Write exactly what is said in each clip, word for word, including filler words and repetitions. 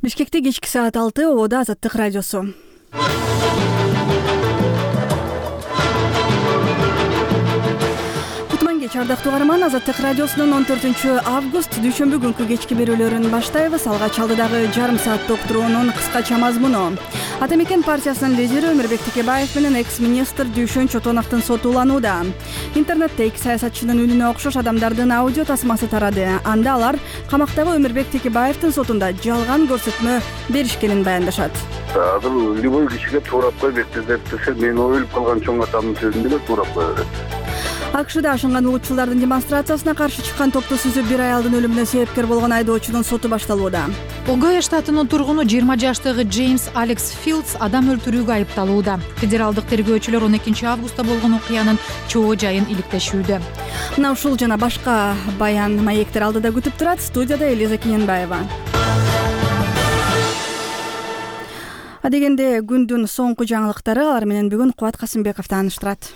Бишкекте кечки саат алты ободо Азаттык радиосу. Кутман кеч ардактуу каарман, Азаттык радиосунун он төртүнчү август дүйшөмбү күнкү кечки берүүлөрүн баштайбыз. Алгач алдыдагы жарым сааттык уктуруунун кыскача мазмуну. Ата мекен партиясынын лидери Өмүрбек Текебаев менен экс-министр Дүйшөн Чотоновдун соту уланууда. Интернетте эки саясатчынын үнүнө окшош адамдардын аудио тасмасы тарады. Анда алар камактагы Өмүрбек Текебаевдин сотунда жалган көрсөтмө беришкенин баяндашат. Азыр любой кишиге туурап кой бектезеп десе, мен ойлоп калган чоң атамдын сөзүн деле туурап кое берет. АКШда ашынган улутчулдардын демонстрациясына каршы чыккан топту сүзүп бир аялдын өлүмүнө себепкер болгон айдоочунун соту башталууда. Огайо штатынын тургуну жыйырма жаштагы Джеймс Алекс Филдс адам өлтүрүүгө айыпталууда. Федералдык тергөөчүлөр он экинчи августта болгон окуянын чоо жайын иликтешүүдө. Мына ушул жана башка баян маектер алдыда күтүп турат. Студияда Элиза Кененбаева. Адегенде күндүн соңку жаңылыктары, алар менен бүгүн Кубат Касымбеков тааныштырат.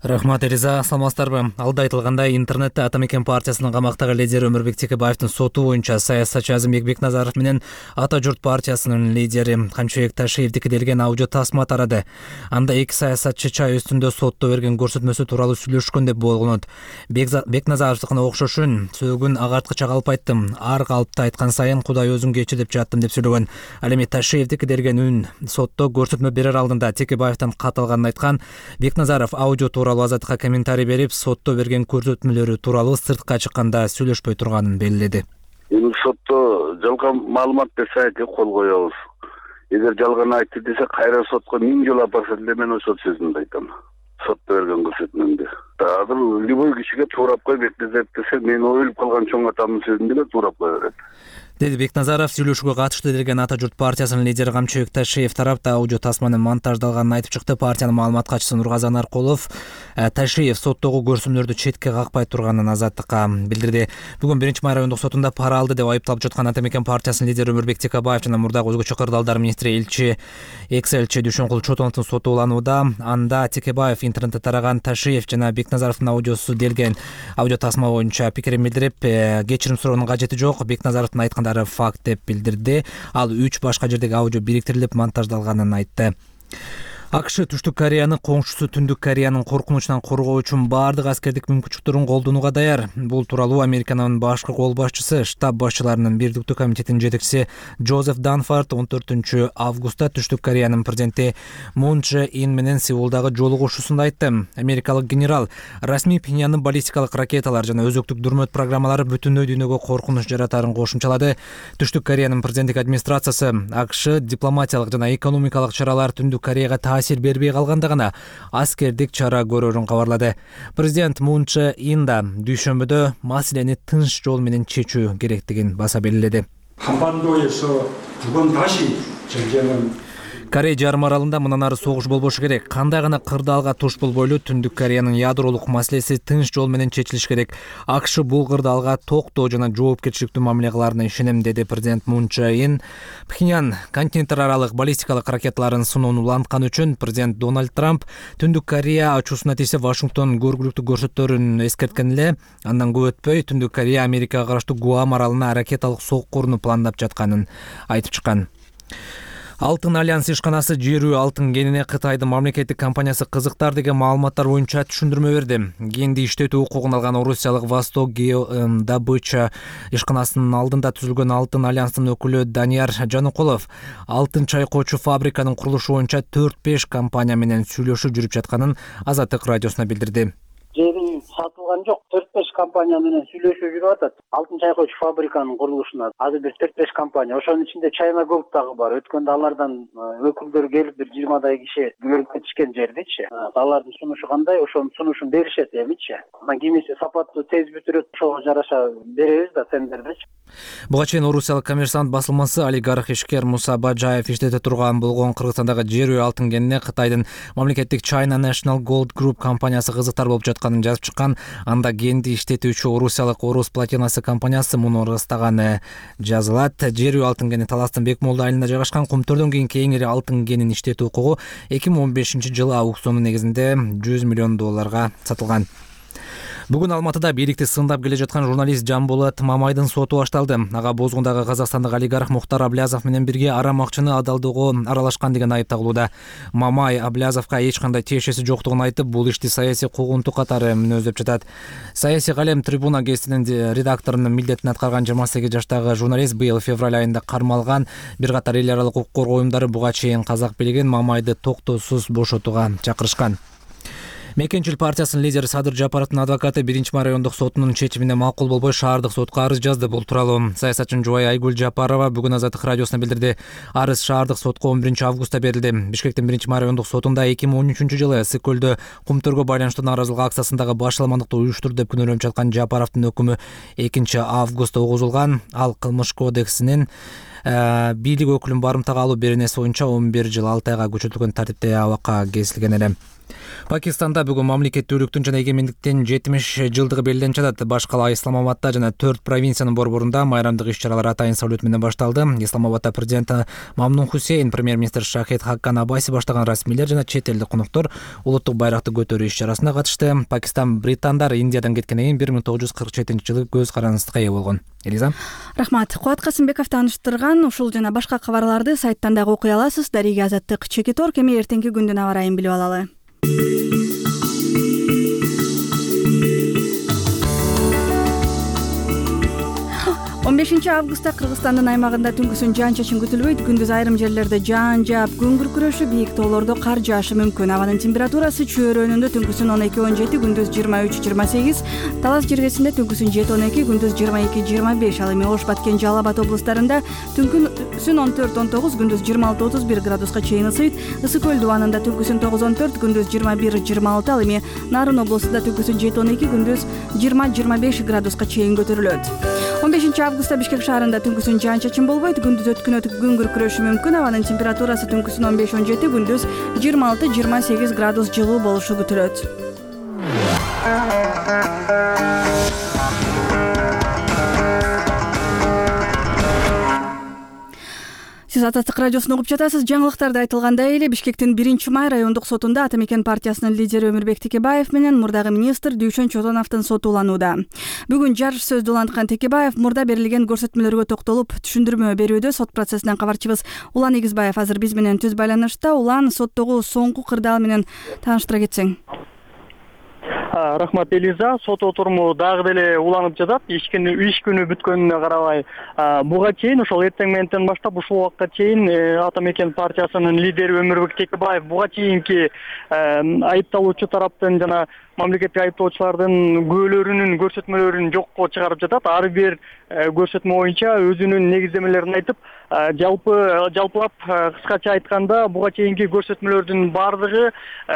Рахмат Элиза, саламатсыздарбы? Алда айтылгандай, интернетте Ата мекен партиясынын камактагы лидери Өмүрбек Текебаевдин соту боюнча саясатчы Азимбек Бекназаров менен Ата журт партиясынын лидери Камчыбек Ташиевдики делген аудио тасма тарады. Анда эки саясатчы чай үстүндө сотто берген көрсөтмөсү тууралуу сүйлөшкөн деп болгонот. Бекназаровдукуна окшошун сөөгүн агарткыча калып айттым. Ар калыпта айткан сайын Кудай өзүң кечир деп жаттым деп сүйлөгөн. Ал эми Ташиевдики делген үн сотто көрсөтмө берер алдында Текебаевден кат алганын айткан. Бекназаров аудио тууралуу Азаттыкка комментарий берип, сотто берген көрсөтмөлөрү тууралуу сыртка чыкканда сүйлөшпөй турганын белгиледи. Эми сотто жалган маалымат берсе айты кол коебуз. Эгер жалган айтты десе, кайра сотко миң жолу апарса деле мен ошол сөзүмдү айтам. Сотто берген көрсөтмөмдү. Азыр любой кишиге туурап кой бектезеп десе, мен ойлоп калган чоң атамдын сөзүн деле туурап кое берет. Деди Бекназаров. Сүйлөшүүгө катышты делген Ата журт партиясынын лидери Камчыбек Ташиев тарапта аудио тасманын монтаждалганын айтып чыкты. Партиянын маалымат катчысы Нургазан Аркулов Ташиев соттогу көрсөтмөлөрдү четке какпай турганын Азаттыкка билдирди. Бүгүн биринчи май райондук сотунда пара алды деп айыпталып жаткан Ата мекен партиясынын лидери Өмүрбек Текебаев жана мурдагы өзгөчө кырдаалдар министри элчи экс-элчи Дүйшөнкул Чотоновдун соту уланууда. Анда Текебаев интернетте тараган Ташиев жана Бекназаровдун аудиосу делген аудио тасма боюнча пикирин билдирип, кечирим суроонун кажети жок, Бекназаровдун айткандары факт деп билдирди. Ал үч башка жердеги аудио бириктирилип монтаждалганын айтты. АКШ Түштүк Кореяны коңшусу Түндүк Кореянын коркунучунан коргоо үчүн баардык аскердик мүмкүнчүлүктөрүн колдонууга даяр. Бул тууралуу Американын башкы кол башчысы, штаб башчыларынын бирдиктүү комитетинин жетекчиси Джозеф Данфорд он төртүнчү августта Түштүк Кореянын президенти Мун Чжэ Ин менен Сеулдагы жолугушуусунда айтты. Америкалык генерал расмий Пхеньяндын баллистикалык ракеталар жана өзөктүк дүрмөт программалары бүтүндөй дүйнөгө коркунуч жаратарын кошумчалады. Түштүк Кореянын президенттик администрациясы АКШ дипломатиялык жана экономикалык чаралар Түндүк Кореяга таасир бербей калганда гана аскердик чара көрөрүн кабарлады. Президент Мун Чжэ Ин да дүйшөмбүдө маселени тынч жол менен чечүү керектигин баса белгиледи. Корей жарым аралында мындан ары согуш болбошу керек. Кандай гана кырдаалга туш болбойлу, Түндүк Кореянын ядролук маселеси тынч жол менен чечилиш керек. АКШ бул кырдаалга токтоо жана жоопкерчиликтүү мамиле кыларына ишенем, деди президент Мун Чжэ Ин. Пхеньян континенттер аралык баллистикалык ракеталарын сыноону уланткан үчүн президент Дональд Трамп Түндүк Корея ачуусуна тийсе Вашингтон көргүлүктүү көрсөттөрүн эскерткен эле. Андан көп өтпөй Түндүк Корея Америкага караштуу Гуам аралына ракеталык соккуруну пландап жатканын айтып чыккан. Алтын альянс ишканасы жерүү алтын кенине Кытайдын мамлекеттик компаниясы кызыктар деген маалыматтар боюнча түшүндүрмө берди. Кенди иштетүү укугун алган орусиялык Восток Геодобыча ишканасынын алдында түзүлгөн Алтын альянстын өкүлү Данияр Жаныкулов алтын чайкоочу фабриканын курулушу боюнча төрт беш компания менен сүйлөшүү жүрүп жатканын Азаттык радиосуна билдирди. Жери сатылган жок, төрт беш компания менен сүйлөшүү жүрүп атат. Алтын чайкоочу фабриканын курулушуна азыр бир төрт беш компания, ошонун ичинде China Gold дагы бар. Өткөндө алардан өкүлдөр келип бир жыйырмадай киши көрүп кетишкен жердичи. Алардын сунушу кандай, ошонун сунушун беришет эмичи. Анан кимиси сапаттуу тез бүтүрөт, ошого жараша беребиз да тендердечи. Буга чейин орусиялык коммерсант басылмасы олигарх ишкер Муса Бажаев иштете турган болгон Кыргызстандагы жерүү алтын кенине Кытайдын мамлекеттик China National Gold Group компаниясы кызыктар болуп жатканын жазып чыккан. Анда кенди иштетүүчү орусиялык Орус Платинасы компаниясы муну ырастаганы жазылат. Жерүү алтын кени Таластын Бекмолду айылында жайгашкан. Кумтөрдөн кийинки эң ири алтын кенин иштетүү укугу эки миң он бешинчи жылы аукциону негизинде жүз миллион долларга сатылган. Бүгүн Алматыда бийликти сындап келе жаткан журналист Жанболот Мамайдын соту башталды. Ага бозгундагы казакстандык олигарх Мухтар Аблязов менен бирге арам акчаны адалдоого аралашкан деген айып тагылууда. Мамай Аблязовго эч кандай тиешеси жоктугун айтып, бул ишти саясий куугунтук катары мүнөздөп жатат. Саясий калем Трибуна гезитинин редакторунун милдетин аткарган жыйырма сегиз жаштагы журналист быйыл февраль айында кармалган. Бир катар эл аралык укук коргоо уюмдары буга чейин казак бийлигин Мамайды токтоосуз бошотууга чакырышкан. Мекенчил партиясынын лидери Садыр Жапаровдун адвокаты биринчи май райондук сотунун чечимине макул болбой шаардык сотко арыз жазды. Бул тууралуу саясатчынын жубайы Айгүл Жапарова бүгүн Азаттык радиосуна билдирди. Арыз шаардык сотко он биринчи августта берилди. Бишкектин биринчи май райондук сотунда эки миң он үчүнчү жылы ысык көлдө кум төргө байланыштуу нааразылык акциясындагы башаламандыкты уюштурду деп күнөөлөнүп жаткан Жапаровдун өкүмү экинчи августта угузулган. Ал кылмыш кодексинин бийлик өкүлүн барымтага алуу беренеси боюнча он бир жыл алты айга көчөртүлгөн тартипте абакка кесилген эле. Пакистанда бүгүн мамлекеттүүлүктүн жана эгемендиктин жетимиш жылдыгы белгиленип жатат. Баш кала Исламабадда жана төрт провинциянын борборунда майрамдык иш-чаралар атайын салют менен башталды. Исламабадда президенти Мамнун Хусейн, премьер-министр Шахид Хаккан Абаси баштаган расмийлер жана чет элдик коноктор улуттук байракты көтөрүү иш-чарасына катышты. Пакистан британдар Индиядан кеткенден кийин бир миң тогуз жүз кырк жетинчи жылы көз карандысыкка ээ болгон. Элиза. Рахмат. Кубат Касымбеков тааныштырган ушул жана башка кабарларды сайттан дагы окуй аласыз. Дарига Азаттык чекитор кеме эртеңки күндүн аба ырайын билип алалы. он бешинчи августта Кыргызстандын аймагында түнкүсүн жаан-чачын күтүлбөйт. Күндүз айрым жерлерде жаан жаап, күн күркүрөшү, бийик тоолордо кар жаашы мүмкүн. Абанын температурасы чөйрөнүндө түнкүсүн он эки он жети, күндүз жыйырма үч жыйырма сегиз, Талас жергесинде түнкүсүн жети он эки, күндүз жыйырма эки жыйырма беш, ал эми Ош, Баткен, Жалал Абад облустарында түнкүсүн он төрт он тогуз, күндүз жыйырма алты отуз бир градуска чейин ысыйт. Ысык көл дубанында түнкүсүн тогуз он төрт, күндүз жыйырма бир жыйырма алты, ал эми Нарын облусунда түнкүсүн жети он эки, күндүз жыйырма жыйырма беш градуска чейин көтөрүлөт. он бешинчи августта Бишкек шаарында түнкүсүн жаан-чачын болбойт. Күндүз өткүнөт күн күркүрөшү мүмкүн. Абанын температурасы түнкүсүн он беш он жети, күндүз жыйырма алты жыйырма сегиз градус жылуу болушу күтүлөт. Сиз Азаттык радиосун угуп жатасыз. Жаңылыктарда айтылгандай эле Бишкектин биринчи май райондук сотунда Ата Мекен партиясынын лидери Өмүрбек Текебаев менен мурдагы министр Дүйшөн Чотоновдун соту уланууда. Бүгүн жарыш сөздү уланткан Текебаев мурда берилген көрсөтмөлөргө токтолуп түшүндүрмө берүүдө. Сот процессинен кабарчыбыз Улан Игизбаев азыр биз менен түз байланышта. Улан, соттогу соңку кырдаал менен тааныштыра кетсең. Рахмат, Элиза. Сот отуруму дагы деле уланып жатат. Иш күнү бүткөнүнө карабай, буга чейин ошол эртең мененден баштап ушул убакка чейин Ата Мекен партиясынын лидери Өмүрбек Текебаев буга чейинки айыпталуучу тараптын жана мамлекеттик айыптоочулардын күбөлөрүнүн көрсөтмөлөрүн жокко чыгарып жатат. Ар бир көрсөтмө боюнча өзүнүн негиздемелерин айтып, жалпы жалпылап кыскача айтканда, буга чейинки көрсөтмөлөрдүн баардыгы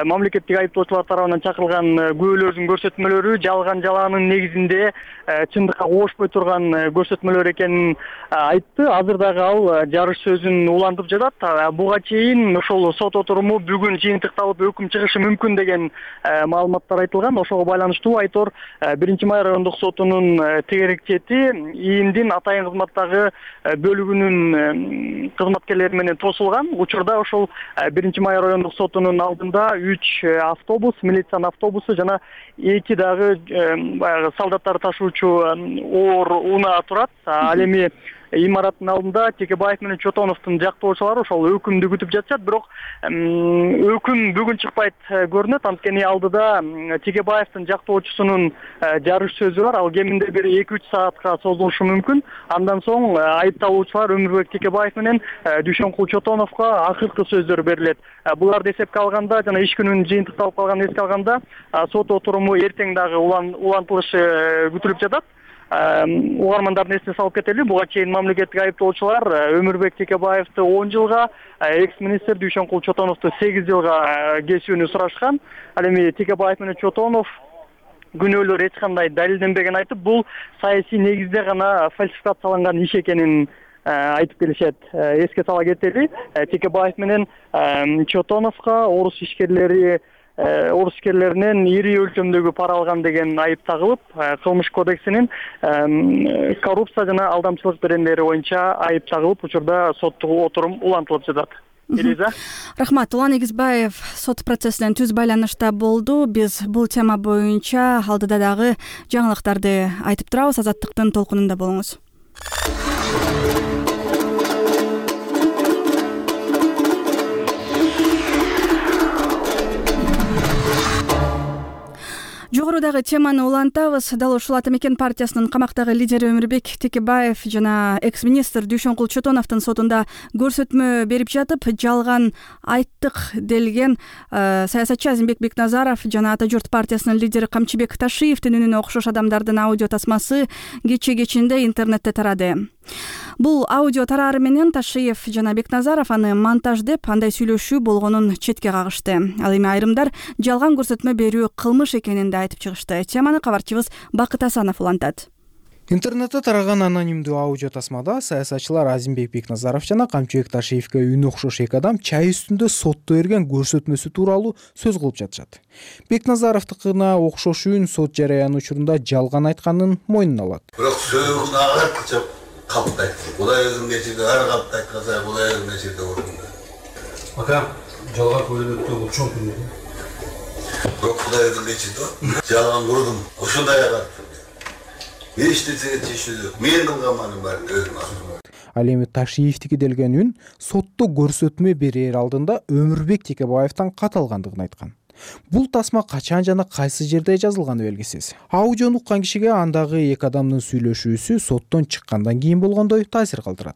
мамлекеттик айыптоочулар тарабынан чакырылган күбөлөрдүн көрсөтмөлөрү жалган жалаанын негизинде чындыкка кошпой турган көрсөтмөлөр экенин айтты. Азыр дагы ал жарыш сөзүн улантып жатат. Буга чейин ошол сот отуруму бүгүн жыйынтыкталып өкүм чыгышы мүмкүн деген маалыматтар айтылган. Ошого байланыштуу айтор биринчи май райондук сотунун тегерек чети ИИМдин атайын кызматтагы бөлүгүнүн кызматкерлери менен тосулган. Учурда ошол биринчи май райондук сотунун алдында үч автобус, милициянын автобусу жана эки дагы баягы солдаттар ташуучу оор унаа турат. Ал эми имараттын алдында Текебаев менен Чотоновдун жактоочулары ошол өкүмдү күтүп жатышат. Бирок өкүм бүгүн чыкпайт көрүнөт. Анткени алдыда Текебаевдин жактоочусунун жарыш сөзү бар. Ал кеминде бир эки үч саатка созулушу мүмкүн. Андан соң айыпталуучулар Өмүрбек Текебаев менен Дүйшөнкул Чотоновго акыркы сөздөр берилет. Буларды эсепке алганда жана иш күнүнүн жыйынтыкталып калганын эске алганда сот отуруму эртең дагы улантылышы күтүлүп жатат. Угармандардын эсине салып кетели, буга чейин мамлекеттик айыптоочулар Өмүрбек Текебаевди он жылга, экс-министр Дүйшөнкул Чотоновду сегиз жылга кесүүнү сурашкан. Ал эми Текебаев менен Чотонов күнөөлөр эч кандай далилденбеген айтып, бул саясий негизде гана фальсификацияланган иш экенин айтып келишет. Эске сала кетели, Текебаев менен Чотоновго орус ишкерлери орус ишкерлеринен ири өлчөмдөгү пара алган деген айып тагылып, кылмыш кодексинин коррупция жана алдамчылык беренелери боюнча айып тагылып, учурда соттук отурум улантылып жатат. Элиза. Рахмат. Улан Эгизбаев сот процессинен түз байланышта болду. Биз бул тема боюнча алдыда дагы жаңылыктарды айтып турабыз. Азаттыктын толкунунда болуңуз. Жогорудагы теманы улантабыз. Дал ушул Ата мекен партиясынын камактагы лидери Өмүрбек Текебаев жана экс-министр Дүйшөнкул Чотоновдун сотунда көрсөтмө берип жатып, жалган айттык делген саясатчы Азимбек Бекназаров жана Ата журт партиясынын лидери Камчыбек Ташиевдин үнүнө окшош адамдардын аудио тасмасы кечээ кечинде интернетте тарады. Бул аудио тараары менен Ташиев жана Бекназаров аны монтаж деп, андай сүйлөшүү болгонун четке кагышты. Ал эми айрымдар жалган көрсөтмө берүү кылмыш экенин да айтып чыгышты. Теманы кабарчыбыз Бакыт Асанов улантат. Интернетте тараган анонимдүү аудио тасмада саясатчылар Азимбек Бекназаров жана Камчыбек Ташиевге үнү окшош эки адам чай үстүндө сотто берген көрсөтмөсү тууралуу сөз кылып жатышат. Бекназаровдукына окшош үн сот жарыяны учурунда жалган айтканын мойнуна алат. Бирок сөзүн агартып каптайт. Булай өзүм кечирди, ар каптайт каза, булай өзүм кечирди орунда. Ака, жалган көрүнөттө бул чоң күнү. Бирок Кудай өзүм кечирди. Жалган курдум. Ошондой агартып. Эч нерсеге чечүүдү. Мен кылганманын баарын өзүм алам. Ал эми Ташиевдики делген үн сотто көрсөтмө берер алдында Өмүрбек Текебаевден катталгандыгын айткан. Бул тасма качан жана кайсы жерде жазылганы белгисиз. Аудиону уккан кишиге андагы эки адамдын сүйлөшүүсү соттон чыккандан кийин болгондой таасир калтырат.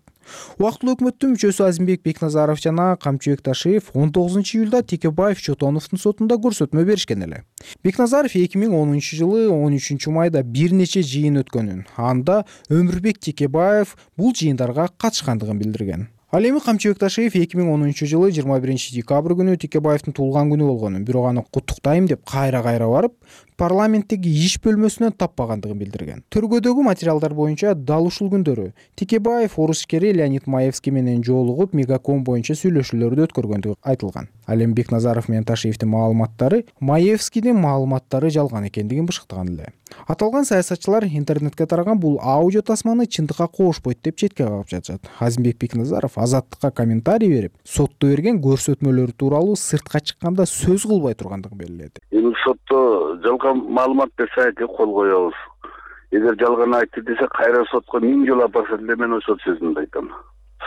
Убактылуу өкмөттүн мүчөсү Азимбек Бекназаров жана Камчыбек Ташиев он тогузунчу июлда Текебаев Чотоновдун сотунда көрсөтмө беришкен эле. Бекназаров эки миң онунчу жылы он үчүнчү майда бир нече жыйын өткөнүн, анда Өмүрбек Текебаев бул жыйындарга катышкандыгын билдирген. Ал эми Камчыбек Ташиев эки миң онунчу жылы жыйырма биринчи декабрь күнү Текебаевдин туулган күнү болгонун, бирок аны куттуктайм деп кайра-кайра барып, парламенттеги иш бөлмөсүнөн таппагандыгын билдирген. Төргөдөгү материалдар боюнча дал ушул күндөрү Текебаев орус ишкери Леонид Маевский менен жолугуп, мегаком боюнча сүйлөшүүлөрдү өткөргөндүгү айтылган. Ал эми Бекназаров менен Ташиевдин маалыматтары Маевскийдин маалыматтары жалган экендигин бышыктаган эле. Аталган саясатчылар интернетке тараган бул аудио тасманы чындыкка коошпойт деп четке кагып жатышат. Азимбек Бекназаров Азаттыкка комментарий берип, сотто берген көрсөтмөлөр тууралуу сыртка чыкканда сөз кылбай тургандыгын белгиледи. Эми сотто жалган маалымат берсе айты кол коебуз. Эгер жалган айтты десе кайра сотко миң жолу апарса деле мен ошол сөзүмдү айтам.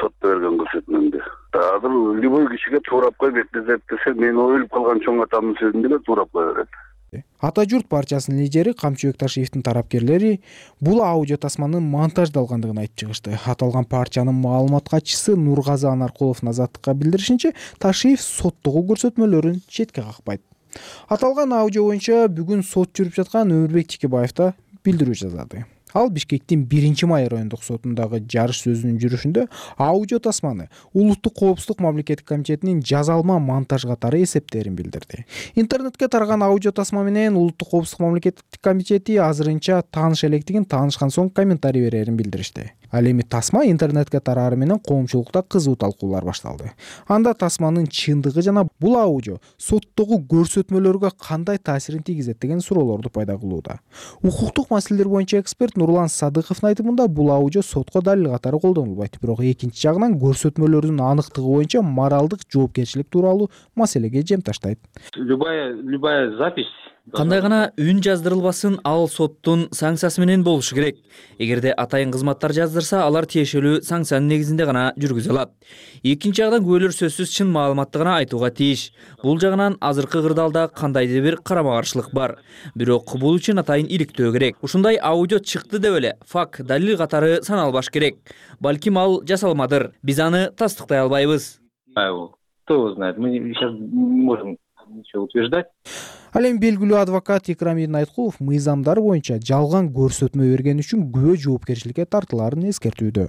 Сотто берген көрсөтмөмдү. Азыр любой кишиге туурап кой Бекназаров десе, мен өлүп калган чоң атамдын сөзүн деле туурап кое берет. Ата журт партиясынын лидери Камчыбек Ташиевдин тарапкерлери бул аудио тасманын монтаждалгандыгын айтып чыгышты. Аталган партиянын маалымат катчысы Нургазы Анаркулов Азаттыкка билдиришинче, Ташиев соттогу көрсөтмөлөрүн четке какпайт. Аталган аудио боюнча бүгүн сот жүрүп жаткан Өмүрбек Текебаев да билдирүү жазады. Ал Бишкектин биринчи май райондук сотундагы жарыш сөзүнүн жүрүшүндө аудио тасманы Улуттук коопсуздук мамлекеттик комитетинин жазалма монтаж катары эсептерин билдирди. Интернетке тараган аудио тасма менен Улуттук коопсуздук мамлекеттик комитети азырынча тааныш электигин, таанышкан соң комментарий берерин билдиришти. Ал эми тасма интернетке тарары менен коомчулукта кызуу талкуулар башталды. Анда тасманын чындыгы жана бул аудио соттогу көрсөтмөлөргө кандай таасирин тийгизет деген суроолорду пайда кылууда. Укуктук маселелер боюнча эксперт Нурлан Садыковдун айтымында бул аудио сотко далил катары колдонулбайт, бирок экинчи жагынан көрсөтмөлөрдүн аныктыгы боюнча моралдык жоопкерчилик тууралуу маселеге жем таштайт. Любая любая запись кандай гана үн жаздырылбасын, ал соттун санкциясы менен болушу керек. Эгерде атайын кызматтар жаздырса, алар тиешелүү санкциянын негизинде гана жүргүзө алат. Экинчи жагдан күбөлөр сөзсүз чын маалыматты гана айтууга тийиш. Бул жагынан азыркы кырдаалда кандайдыр бир карама каршылык бар. Бирок бул үчүн атайын иликтөө керек. Ушундай аудио чыкты деп эле факт, далил катары саналбаш керек. Балким ал жасалмадыр. Биз аны тастыктай албайбыз. Кто знает, мы сейчас не можем ничего утверждать. Ал эми белгилүү адвокат Икрамидин Айткулов мыйзамдар боюнча жалган көрсөтмө берген үчүн күбө жоопкерчиликке тартылаарын эскертүүдө.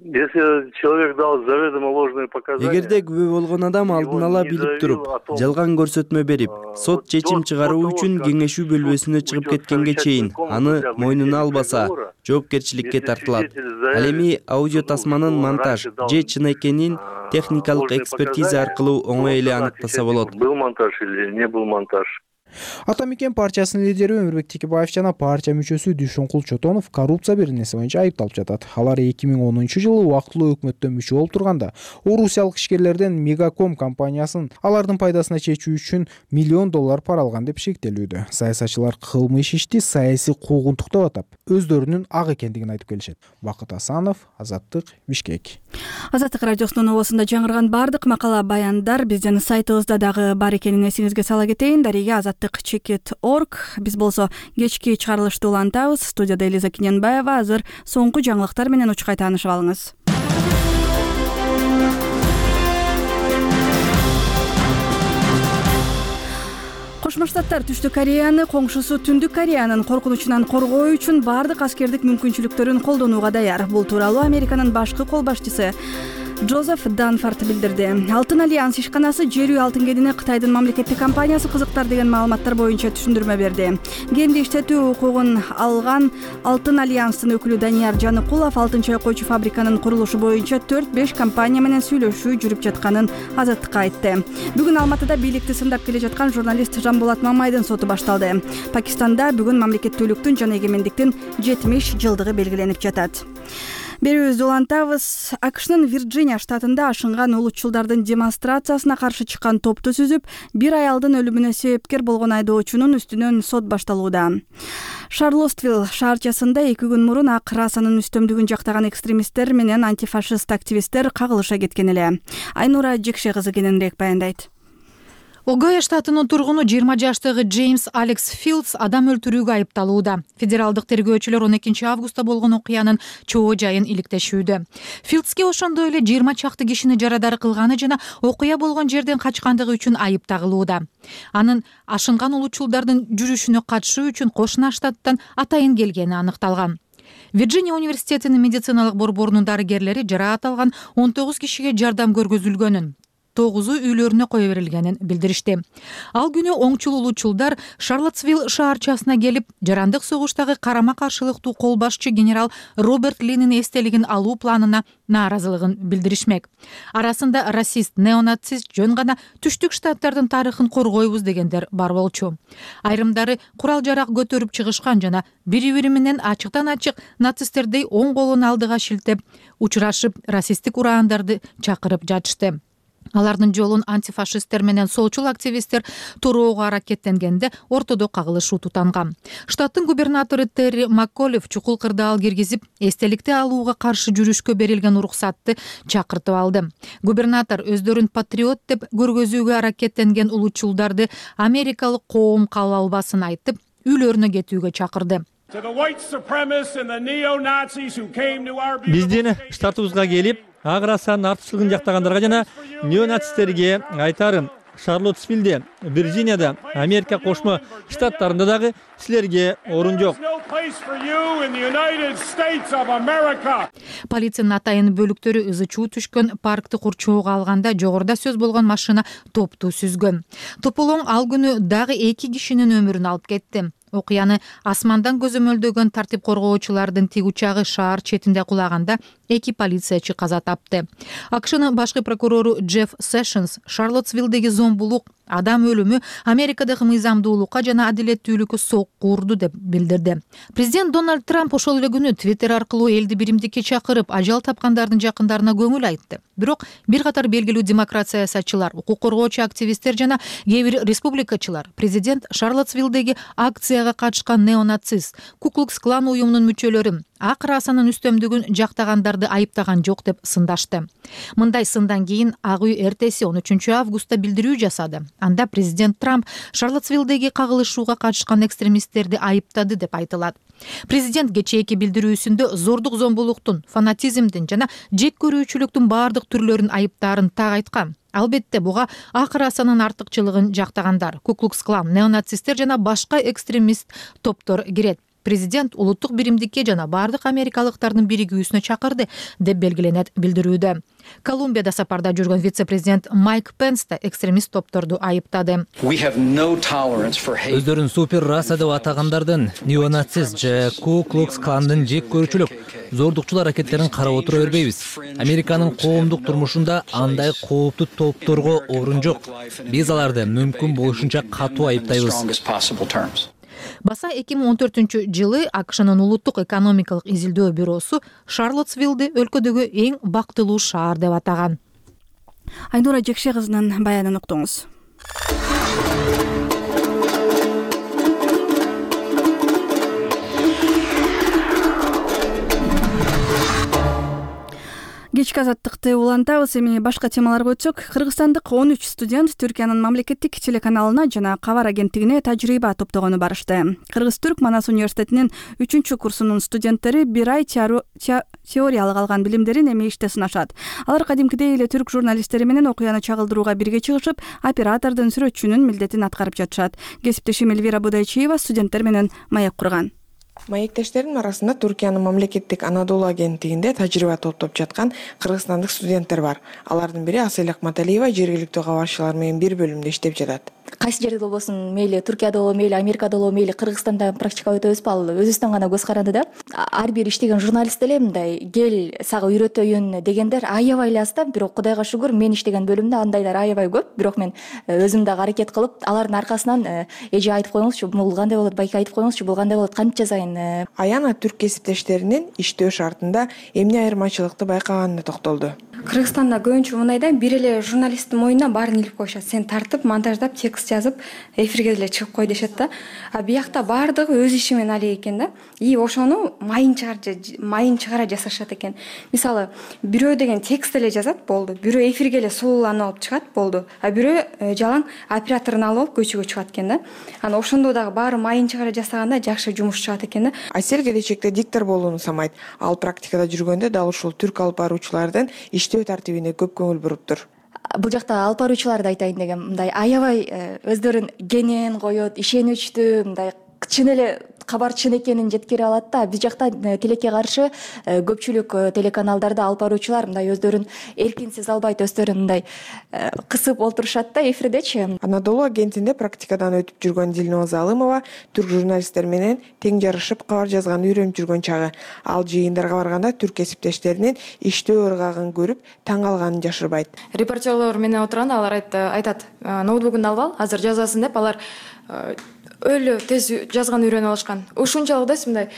Если человек дал заведомо ложные показания, эгерде күбө болгон адам алдын ала билип туруп жалган көрсөтмө берип, сот чечим чыгаруу үчүн кеңешүү бөлмөсүнө чыгып кеткенге чейин аны мойнуна албаса, жоопкерчиликке тартылат. Ал эми аудио тасманын монтаж же чын экенин техникалык экспертиза аркылуу оңой эле аныктаса болот. Был монтаж или не был монтаж. Ата мекен партиясынын лидери Өмүрбек Текебаев жана партия мүчөсү Дүйшөнкул Чотонов коррупция беренеси боюнча айыпталып жатат. Алар эки миң онунчу жылы убактылуу өкмөттө мүчө болуп турганда орусиялык ишкерлерден Мегаком компаниясын алардын пайдасына чечүү үчүн миллион доллар пара алган деп шектелүүдө. Саясатчылар кылмыш ишти саясий куугунтук деп атап, өздөрүнүн ак экендигин айтып келишет. Бакыт Асанов, Азаттык, Бишкек. Азаттык радиосунун обосунда жаңырган бардык макала баяндар биздин сайтыбызда дагы бар экенин эсиңизге сала кетейин. Дарига азаттык чекит орг. Биз болсо кечки чыгарылышты улантабыз. Студияда Элиза Киненбаева. Азыр соңку жаңылыктар менен учкай таанышып алыңыз. Кошмо Штаттар Түштүк Кореяны коңшусу Түндүк Кореянын коркунучунан коргоо үчүн бардык аскердик мүмкүнчүлүктөрүн колдонууга даяр. Бул тууралуу Американын башкы кол башчысы Джозеф Данфорд билдирди. Алтын альянс ишканасы жер үй алтын кенини Кытайдын мамлекеттик компаниясы кызыктар деген маалыматтар боюнча түшүндүрмө берди. Кенди иштетүү укугун алган Алтын альянстын өкүлү Данияр Жаныкулов алтын чайкоочу фабриканын курулушу боюнча төрт беш компания менен сүйлөшүү жүрүп жатканын Азаттыкка айтты. Бүгүн Алматыда бийликти сындап келе жаткан журналист Жанболот Мамайдын соту башталды. Пакистанда бүгүн мамлекеттүүлүктүн жана эгемендиктин жетимиш жылдыгы белгиленип жатат. Берүүбүздү улантабыз. АКШнын Вирджиния штатында ашынган улутчулдардын демонстрациясына каршы чыккан топту сүзүп, бир аялдын өлүмүнө себепкер болгон айдоочунун үстүнөн сот башталууда. Шарлоттвилл шаарчасында эки күн мурун ак расанын үстөмдүгүн жактаган экстремисттер менен антифашист активисттер кагылыша кеткен эле. Айнура Жекше кызы кененирээк баяндайт. Огайо штатынын тургуну жыйырма жаштагы Джеймс Алекс Филдс адам өлтүрүүгө айыпталууда. Федералдык тергөөчүлөр он экинчи августта болгон окуянын чоо жайын иликтешүүдө. Филдске ошондой эле жыйырма чакты кишини жарадар кылганы жана окуя болгон жерден качкандыгы үчүн айып тагылууда. Анын ашынган улутчулдардын жүрүшүнө катышуу үчүн кошуна штаттан атайын келгени аныкталган. Вирджиния университетинин медициналык борборунун дарыгерлери жараат алган он тогуз кишиге жардам көргөзүлгөнүн, тогузу үйлөрүнө кое берилгенин билдиришти. Ал күнү оңчул улутчулдар Шарлоттсвилл шаарчасына келип, жарандык согуштагы карама каршылыктуу кол башчы генерал Роберт Линин эстелигин алуу планына нааразылыгын билдиришмек. Арасында расист, неонацист, жөн гана Түштүк штаттардын тарыхын коргойбуз дегендер бар болчу. Айрымдары курал жарак көтөрүп чыгышкан жана бири-бири менен ачыктан ачык нацисттердей оң колун алдыга шилтеп, учурашып, расисттик ураандарды чакырып жатышты. Алардын жолун антифашисттер менен солчул активисттер туроого аракеттенгенде ортодо кагылышуу тутанган. Штаттын губернатору Терри Макколев чукул кырдаал киргизип, эстеликти алууга каршы жүрүшкө берилген уруксатты чакыртып алды. Губернатор өздөрүн патриот деп көргөзүүгө аракеттенген улутчулдарды америкалык коом кала албасын айтып, үйлөрүнө кетүүгө чакырды. Биздин штатыбызга келип, ак расанын артыкчылыгын жактагандарга жана неонацисттерге айтарым: Шарлоттсвиллде, Вирджинияда, Америка кошмо штаттарында дагы силерге орун жок. Полициянын атайын бөлүктөрү ызы чуу түшкөн паркты курчоого алганда жогоруда сөз болгон машина топту сүзгөн. Тополоң ал күнү дагы эки кишинин өмүрүн алып кетти. Окуяны асмандан көзөмөлдөгөн тартип коргоочулардын тиг учагы шаар четинде кулаганда эки полициячы каза тапты. АКШнын башкы прокурору Джефф Сэшнс Шарлоттсвиллдеги зомбулук, адам өлүмү Америкадагы мыйзамдуулукка жана адилеттүүлүккө сокку урду деп билдирди. Президент Дональд Трамп ошол эле күнү Твиттер аркылуу элди биримдикке чакырып, ажал тапкандардын жакындарына көңүл айтты. Бирок бир катар белгилүү демократ саясатчылар, укук коргоочу активисттер жана кээ бир республикачылар президент Шарлоттсвиллдеги акцияга катышкан неонацист, Ку-клукс-клан уюмунун мүчөлөрү ак расанын үстөмдүгүн жактагандарды айыптаган жок деп сындашты. Мындай сындан кийин Ак үй эртеси он үчүнчү августта билдирүү жасады. Анда президент Трамп Шарлоттсвиллдеги кагылышууга катышкан экстремисттерди айыптады деп айтылат. Президент кечээки билдирүүсүндө зордук зомбулуктун, фанатизмдин жана жек көрүүчүлүктүн баардык түрлөрүн айыптаарын так айткан. Албетте буга ак расанын артыкчылыгын жактагандар, Ку-клукс-клан, неонацисттер жана башка экстремист топтор кирет. президент улуттук биримдикке жана баардык америкалыктардын биригүүсүнө чакырды деп белгиленет билдирүүдө. Колумбияда сапарда жүргөн вице-президент Майк Пенс да экстремист топторду айыптады. Өздөрүн супер раса деп атагандардын, неонацист же Ку Клукс Кландын жек көрүүчүлүк, зордукчул аракеттерин карап отура бербейбиз. Американын коомдук турмушунда андай кооптуу топторго орун жок. Биз аларды мүмкүн болушунча катуу айыптайбыз. Баса эки миң он төртүнчү жылы АКШнын улуттук экономикалык изилдөө бюросу Шарлоттсвиллди өлкөдөгү эң бактылуу шаар деп атаган. Айнура Жекше кызынын баянын уктуңуз. Кечки азаттыкты улантабыз. Эми башка темаларга өтсөк, кыргызстандык он үч студент Түркиянын мамлекеттик телеканалына жана кабар агенттигине тажрыйба топтогону барышты. Кыргыз-Түрк Манас университетинин үчүнчү курсунун студенттери бир ай теориялык алган билимдерин эми иште сынашат. Алар кадимкидей эле түрк журналисттери менен окуяны чагылдырууга бирге чыгышып, оператордун, сүрөтчүнүн милдетин аткарып жатышат. Кесиптешим Элвира Будайчиева студенттер менен маек курган. Маектештердин арасында Түркиянын мамлекеттик Анадолу агенттигинде тажрыйба топтоп жаткан кыргызстандык студенттер бар. Алардын бири Асель Акматалиева жергиликтүү кабарчылар менен бир бөлүмдө иштеп жатат. Кайсы жерде болбосун, мейли Түркияда болобу, мейли Америкада болобу, мейли Кыргызстанда практика өтөбүзбү, ал өзүбүздөн гана көз каранды да. Ар бир иштеген журналист эле мындай кел сага үйрөтөйүн дегендер аябай эле аз да. Бирок Кудайга шүгүр, мен иштеген бөлүмдө андайлар аябай көп. Бирок мен өзүм дагы аракет кылып, алардын аркасынан эже айтып коюңузчу, бул кандай болот, байке айтып коюңузчу, бул кандай болот, кантип жазайын. Аяна түрк кесиптештеринин иштөө шартында эмне айырмачылыкты байкаганына токтолду. Кыргызстанда көбүнчө мындай да, бир эле журналисттин мойнуна баарын илип коюшат. Сен тартып, монтаждап, текст жазып, эфирге деле чыгып кой дешет да. А биякта баардыгы өз иши менен алек экен да. И ошону майын чыгар майын чыгара жасашат экен. Мисалы, бирөө деген текст эле жазат, болду. Бирөө эфирге эле сулууланып алып чыгат, болду. А бирөө жалаң операторун алып алып көчөгө чыгат экен да. Аны ошондо дагы баары майын чыгара жасаганда жакшы жумуш чыгат экен да. Асель келечекте диктор болууну самайт. Ал практикада жүргөндө дал ушул түрк алып баруучулардын иштөө тартибине көп көңүл буруптур. Бул жакта алып баруучуларды айтайын дегем, мындай аябай өздөрүн кенен коет, ишеничтүү, мындай чын эле кабар чын экенин жеткире алат да. Биз жакта тилекке каршы көпчүлүк телеканалдарда алып баруучулар мындай өздөрүн эркин сезе албайт, өздөрүн мындай кысып олтурушат да эфирдечи. Анадолу агентинде практикадан өтүп жүргөн Дилноза Залымова түрк журналисттер менен тең жарышып кабар жазганды үйрөнүп жүргөн чагы. Ал жыйындарга барганда түрк кесиптештеринин иштөө ыргагын көрүп таң калганын жашырбайт. Репортерлор менен отурганда алар айтат, ноутбугуңду алып ал, азыр жазасың деп, алар өлө тез жазган үйрөнүп алышкан. Ушунчалык да мындай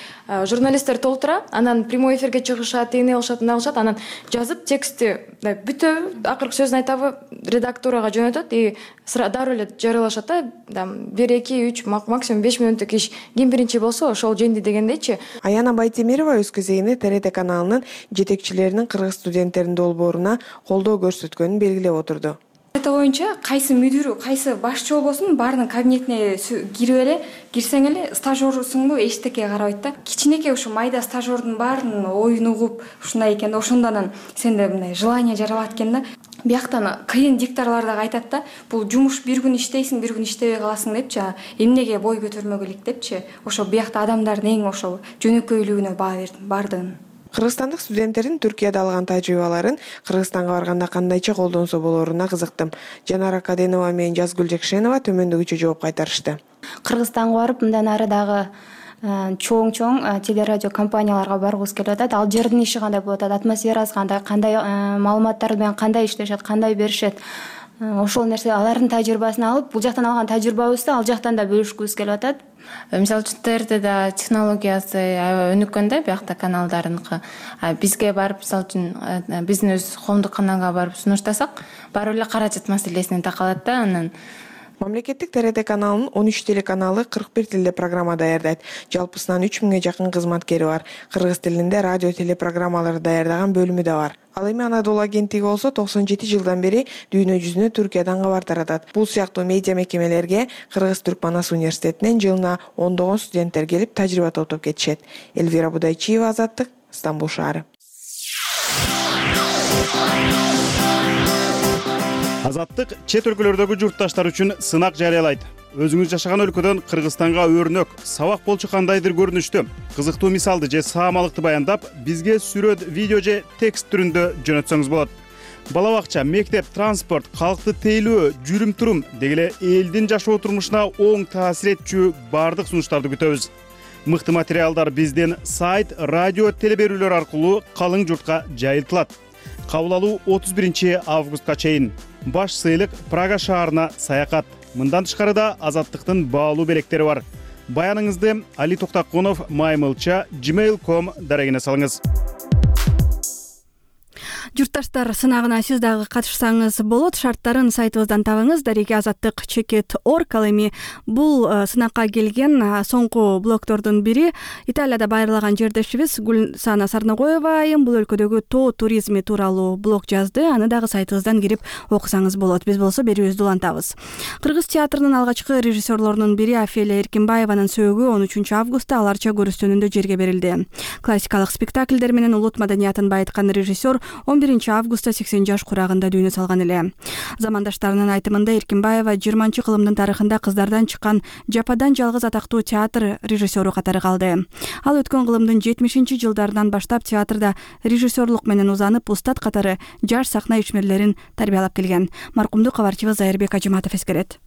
журналисттер толтура, анан прямой эфирге чыгышат, эмне кылышат, эмне кылышат, анан жазып текстти бүтөбү, акыркы сөзүн айтабы, редактурага жөнөтөт и дароо эле жарыялашат да. бир эки үч максимум беш мүнөттүк иш. Ким биринчи болсо ошол жеңди дегендейчи. Аяна Байтемирова өз кезегинде Т Р Т каналынын жетекчилеринин кыргыз студенттеринин долбооруна колдоо көрсөткөнүн белгилеп отурду. Это боюнча кайсы мүдүрү, кайсы башчы болбосун, баарынын кабинетине кирип эле, кирсең эле стажерсуңбу эчтеке карабайт да. Кичинекей ушу майда стажердун баарынын оюн угуп, ушундай экен да, ошондон сенде мындай желание жаралат экен да. Бияктан кыйын дикторлор дагы айтат да, бул жумуш бир күн иштейсиң, бир күн иштебей каласың депчи, эмнеге бой көтөрмөгө элек депчи. Ошо биякта адамдардын эң ошол жөнөкөйлүгүнө баа бердим, бардыгын. Кыргызстандык студенттердин Түркияда алган тажрыйбаларын Кыргызстанга барганда кандайча колдонсо болоруна кызыктым. Жанара Каденова менен Жазгүл Жекшенова төмөндөгүчө жооп кайтарышты. Кыргызстанга барып, мындан ары дагы чоң-чоң телерадио компанияларга баргыбыз келип атат. Ал жердин иши кандай болот, атмосферасы кандай, кандай маалыматтар менен кандай иштешет, кандай беришет. Ошол нерсе алардын тажрыйбасын алып, бул жактан алган тажрыйбабызды ал жактан да бөлүшкүбүз келип атат. Мисалы үчүн Т Р Тда технологиясы аябай өнүккөн да, биякта каналдарыныкы. Бизге барып, мисалы үчүн биздин өз коомдук каналга барып сунуштасак, баары эле каражат маселесине такалат да. Анан Мамлекеттик Т Р Т каналынын он үч телеканалы кырк бир тилде программа даярдайт. Жалпысынан үч миңге жакын кызматкери бар. Кыргыз тилинде радио телепрограммаларды даярдаган бөлүмү да бар. Ал эми Анадолу агенттиги болсо токсон жети жылдан бери дүйнө жүзүнө Түркиядан кабар таратат. Бул сыяктуу медиа мекемелерге Кыргыз-Түрк Манас университетинен жылына ондогон студенттер келип тажрыйба топтоп кетишет. Элвира Будайчиева, Азаттык, Стамбул шаары. Азаттык чет өлкөлөрдөгү журтташтар үчүн сынак жарыялайт. өзүңүз жашаган өлкөдөн Кыргызстанга өрнөк, сабак болчу кандайдыр көрүнүштүү, кызыктуу мисалды же саамалыкты баяндап, бизге сүрөт, видео же текст түрүндө жөнөтсөңүз болот. Бала бакча, мектеп, транспорт, калкты тейлөө, жүрүм-турум деги эле элдин жашоо турмушуна оң таасир этчү баардык сунуштарды күтөбүз. Мыкты материалдар биздин сайт, радио, телеберүүлөр аркылуу калың журтка жайылтылат. Кабыл алуу отуз биринчи августка чейин. Баш сыйлык Прага шаарына саякат. Мындан тышкары да Азаттыктын баалуу белектери бар. Баяныңызды Али Токтакунов маймылча gmail точка ком дарегине салыңыз. Журтташтар, сынагына сиз дагы катышсаңыз болот. Шарттарын сайтыбыздан табыңыз. Дареги азаттык чекит точка орг. Ал эми бул сынакка келген соңку блогтордун бири Италияда байырлаган жердешибиз Гүлсана Сарнагоева айым бул өлкөдөгү тоо туризми тууралуу блог жазды. Аны дагы сайтыбыздан кирип окусаңыз болот. Биз болсо берүүбүздү улантабыз. Кыргыз театрынын алгачкы режиссерлорунун бири Офелия Эркинбаеванын сөөгү он үчүнчү августта аларча көрүстөнүндө жерге берилди. Классикалык спектакльдер менен улут маданиятын байыткан режиссер он биринчи августта сексен жаш курагында дүйнө салган эле. Замандаштарынын айтымында Эркинбаева жыйырманчы кылымдын тарыхында кыздардан чыккан жападан жалгыз атактуу театр режиссеру катары калды. Ал өткөн кылымдын жетимишинчи жылдарынан баштап театрда режиссерлук менен узанып, устат катары жаш сахна ишмерлерин тарбиялап келген. Маркумду кабарчыбыз Зайырбек Ажыматов эскерет.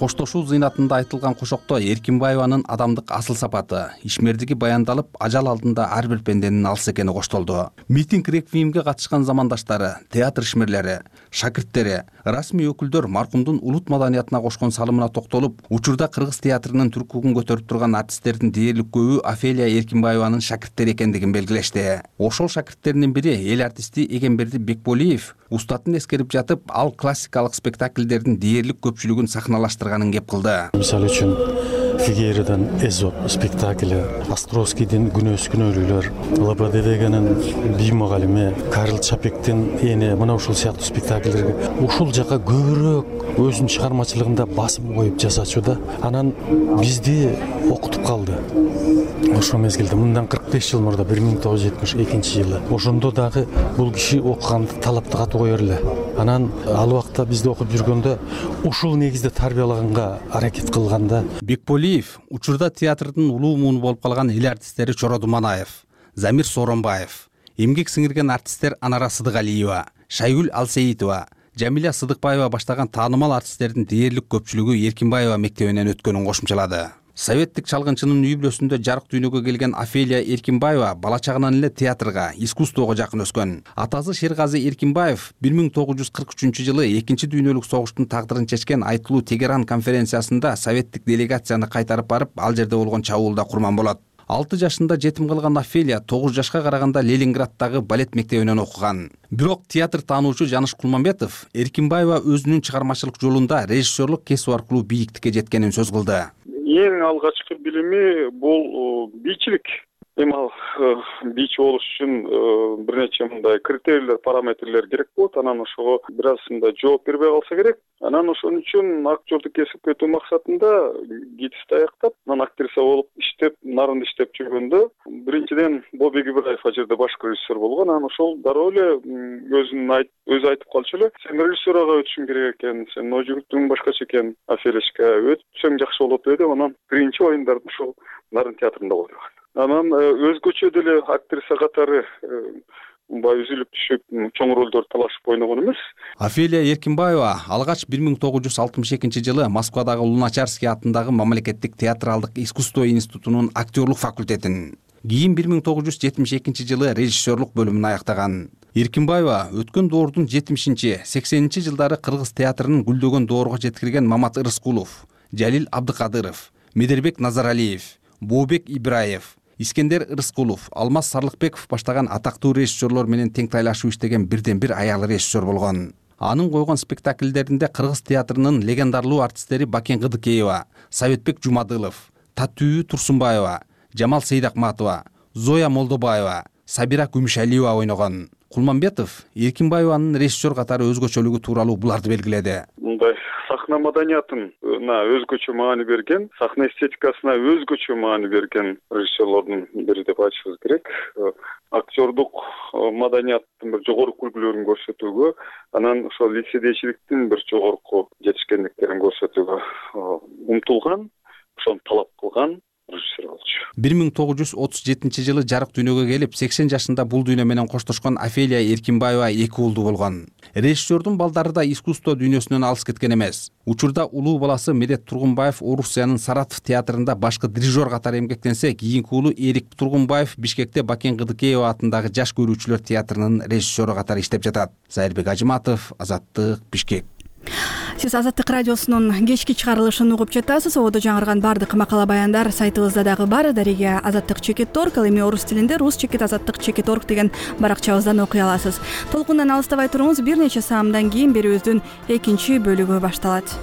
Коштошуу зыйнатында айтылган кошокто Эркинбаеванын адамдык асыл сапаты, ишмердиги баяндалып, ажал алдында ар бир пенденин алыс экени коштолду. Митинг реквиемге катышкан замандаштары, театр ишмерлери, шакирттери, расмий өкүлдөр маркумдун улут маданиятына кошкон салымына токтолуп, учурда кыргыз театрынын түркүгүн көтөрүп турган артисттердин дээрлик көбү Офелия Эркинбаеванын шакирттери экендигин белгилешти. Ошол шакирттеринин бири эл артисти Эгемберди Бекболиев устатын эскерип жатып, ал классикалык спектакльдердин дээрлик көпчүлүгүн сахналаштырганын кеп кылды. Мисалы үчүн Фигейреден Эзоп спектакли, Островскийдин Күнөөс күнөөлүүлөр, Лободевегенин Бий мугалими, Карл Чапектин эне мына ушул сыяктуу спектакльдерге ушул жака көбүрөөк өзүнүн чыгармачылыгында басым коюп жасачу да. Анан бизди окутуп калды. Ошол мезгилде мындан кырк беш жыл мурда бир миң тогуз жүз жетимиш экинчи жылы ошондо дагы бул киши окуганды талапты катуу коер эле. Анан ал убакта бизди окуп жүргөндө ушул негизде тарбиялаганга аракет кылганда Бекболиев учурда театрдын улуу мууну болуп калган эл артисттери Чоро Думанаев, Замир Сооронбаев, эмгек сиңирген артисттер Анара Сыдыгалиева, Шайгүл Алсейитова, Жамиля Сыдыкбаева баштаган таанымал артисттердин дээрлик көпчүлүгү Эркинбаева мектебинен өткөнүн кошумчалады. Советтик чалгынчынын үй бүлөсүндө жарык дүйнөгө келген Офелия Эркинбаева бала чагынан эле театрга, искусствого жакын өскөн. Атасы Шергази Эркинбаев бир миң тогуз жүз кырк үчүнчү жылы экинчи дүйнөлүк согуштун тагдырын чечкен айтылуу Тегеран конференциясында советтик делегацияны кайтарып барып, ал жерде болгон чабуулда курман болот. алты жашында жетим калган Офелия тогуз жашка караганда Ленинграддагы балет мектебинен окуган. Бирок театр таануучу Жаныш Кулманбетов Эркинбаева өзүнүн чыгармачылык жолунда режиссерлук кесип аркылуу бийиктикке жеткенин сөз кылды. Эң алгачкы билими бул бийчилик. Эми ал бийчи болуш үчүн бир нече мындай критерийлер, параметрлер керек болот. Анан ошого бир аз мындай жооп бербей калса керек. Анан ошон үчүн актёрдук кесип кетүү максатында гидсти аяктап, анан актриса болуп иштеп, нарын иштеп жүргөндө биринчиден Бобек Ибраев ал жерде башкы режиссер болгон. Анан ошол дароо эле өзүнүн айт өзү айтып калчу эле, сен режиссурага өтүшүң керек экен, сен ой жүгүртүң башкача экен, Офелияшка өтсөң жакшы болот деп анан биринчи оюндарды ушул Нарын театрында койдук. Анан өзгөчө деле актриса катары мындай үзүлүп түшүп чоң ролдор талашып ойногон эмес. Офелия Эркинбаева алгач бир миң тогуз жүз алтымыш экинчи жылы Москвадагы Луначарский атындагы мамлекеттик театралдык искусство институтунун актерлук факультетин, кийин бир миң тогуз жүз жетимиш экинчи жылы режиссерлук бөлүмүн аяктаган. Эркинбаева өткөн доордун жетимишинчи, сексенинчи жылдары кыргыз театрынын гүлдөгөн доорго жеткирген Мамат Ырыскулов, Жалил Абдыкадыров, Медербек Назаралиев, Бообек Ибраев, Искендер Ырыскулов, Алмаз Сарлыкбеков баштаган атактуу режиссерлор менен тең тайлашып иштеген бирден бир аял режиссер болгон. Анын койгон спектакльдеринде кыргыз театрынын легендарлуу артисттери Бакен Кыдыкеева, Советбек Жумадылов, Татүү Турсунбаева, Жамал Сейдакматова, Зоя Молдобаева, Сабира Күмүшалиева ойногон. Кулманбетов Эркинбаеванын режиссер катары өзгөчөлүгү тууралуу буларды белгиледи. Мындай сахна маданиятына өзгөчө маани берген, сахна эстетикасына өзгөчө маани берген режиссерлордун бири деп айтышыбыз керек. Актёрдук маданияттын бир жогорку үлгүлөрүн көрсөтүүгө, анан ошол лицедейчиликтин бир жогорку жетишкендиктерин көрсөтүүгө умтулган, ошону талап кылган режиссер болчу. бир миң тогуз жүз отуз жетинчи жылы жарык дүйнөгө келип, сексен жашында бул дүйнө менен коштошкон Офелия Эркинбаева эки уулду болгон. Режиссердун балдары да искусство дүйнөсүнөн алыс кеткен эмес. Учурда улуу баласы Медет Тургунбаев Орусиянын Саратов театрында башкы дирижер катары эмгектенсе, кийинки уулу Эрик Тургунбаев Бишкекте Бакен Кыдыкеева атындагы Жаш көрүүчүлөр театрынын режиссеру катары иштеп жатат. Зайырбек Ажыматов, Азаттык, Бишкек. Сиз Азаттык радиосунун кечки чыгарылышын угуп жатасыз. Ободо жаңырган бардык макала баяндар сайтыбызда дагы бар. Дарига Азаттык чекит точка орг, ал эми орус тилинде рус чекит азаттык чекит точка орг деген баракчабыздан окуй аласыз. Толкундан алыстабай туруңуз, бир нече саамдан кийин берүүбүздүн экинчи бөлүгү башталат.